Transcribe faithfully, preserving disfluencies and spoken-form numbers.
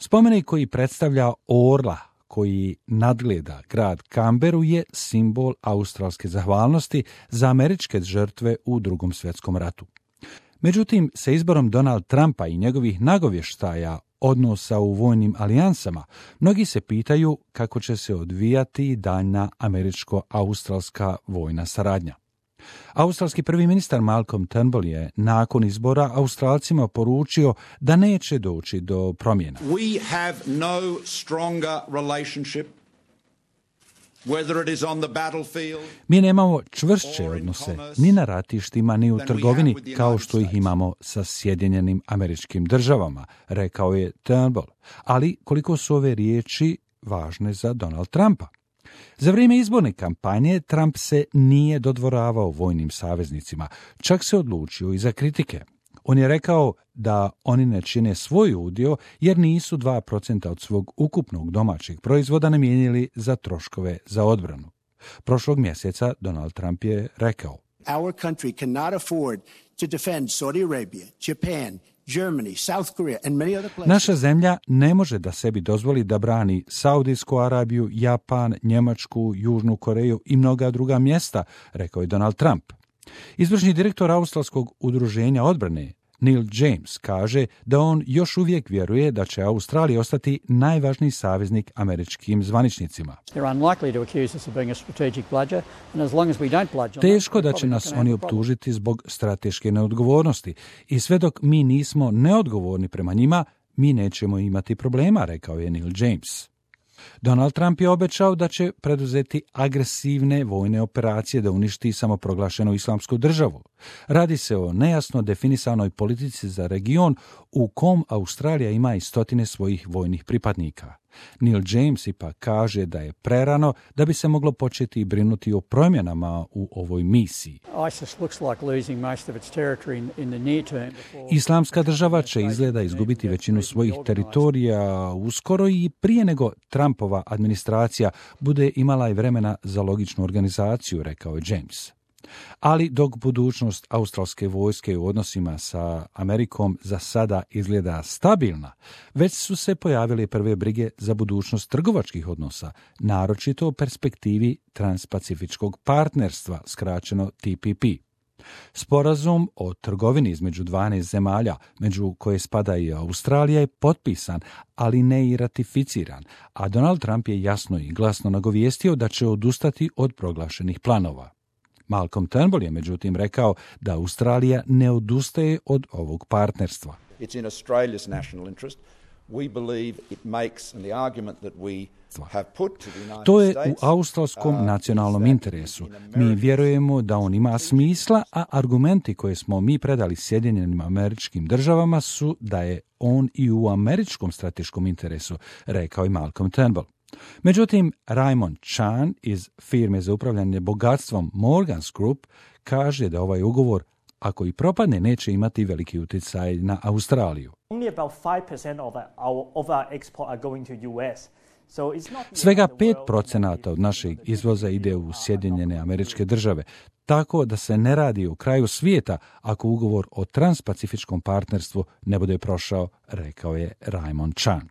Spomenik koji predstavlja orla koji nadgleda grad Canberu je simbol australske zahvalnosti za američke žrtve u Drugom svjetskom ratu. Međutim, sa izborom Donald Trumpa i njegovih nagovještaja odnosa u vojnim alijansama, mnogi se pitaju kako će se odvijati daljna američko-australska vojna saradnja. Australski prvi ministar Malcolm Turnbull je nakon izbora Australcima poručio da neće doći do promjena. We have no stronger relationship whether it is on the battlefield. Mi nemamo čvršće odnose ni na ratištima ni u trgovini kao što ih imamo sa Sjedinjenim Američkim Državama, rekao je Turnbull. Ali koliko su ove riječi važne za Donald Trumpa? Za vrijeme izborne kampanje Trump se nije dodvoravao vojnim saveznicima, čak se odlučio i za kritike. On je rekao da oni ne čine svoj udio jer nisu dva procenta od svog ukupnog domaćeg proizvoda namijenili za troškove za odbranu. Prošlog mjeseca Donald Trump je rekao: Our country cannot afford to defend Saudi Arabia, Japan, Germany, South Korea and many other places. Naša zemlja ne može da sebi dozvoli da brani Saudijsku Arabiju, Japan, Njemačku, Južnu Koreju i mnoga druga mjesta, rekao je Donald Trump. Izvršni direktor Australskog udruženja odbrane Neil James kaže da on još uvijek vjeruje da će Australija ostati najvažniji saveznik američkim zvaničnicima. Teško da će nas oni optužiti zbog strateške neodgovornosti i sve dok mi nismo neodgovorni prema njima, mi nećemo imati problema, rekao je Neil James. Donald Trump je obećao da će preduzeti agresivne vojne operacije da uništi samoproglašenu islamsku državu. Radi se o nejasno definisanoj politici za region u kom Australija ima i stotine svojih vojnih pripadnika. Neil James ipak kaže da je prerano da bi se moglo početi brinuti o promjenama u ovoj misiji. Islamska država će izgleda izgubiti većinu svojih teritorija uskoro i prije nego Trumpova administracija bude imala i vremena za logičnu organizaciju, rekao je James. Ali dok budućnost australske vojske u odnosima sa Amerikom za sada izgleda stabilna, već su se pojavile prve brige za budućnost trgovačkih odnosa, naročito u perspektivi transpacifičkog partnerstva, skraćeno T P P. Sporazum o trgovini između dvanaest zemalja, među koje spada i Australija, je potpisan, ali ne i ratificiran, a Donald Trump je jasno i glasno nagovijestio da će odustati od proglašenih planova. Malcolm Turnbull je međutim rekao da Australija ne odustaje od ovog partnerstva. It's in Australia's national interest. We believe it makes and the argument that we have put to the United States. To je u australskom nacionalnom interesu. Mi vjerujemo da on ima smisla, a argumenti koje smo mi predali Sjedinjenim Američkim Državama su da je on i u američkom strateškom interesu, rekao je Malcolm Turnbull. Međutim, Raymond Chan iz firme za upravljanje bogatstvom Morgans Group kaže da ovaj ugovor, ako i propadne, neće imati veliki utjecaj na Australiju. Svega pet procenata od našeg izvoza ide u Sjedinjene Američke Države, tako da se ne radi o kraju svijeta ako ugovor o transpacifičkom partnerstvu ne bude prošao, rekao je Raymond Chan.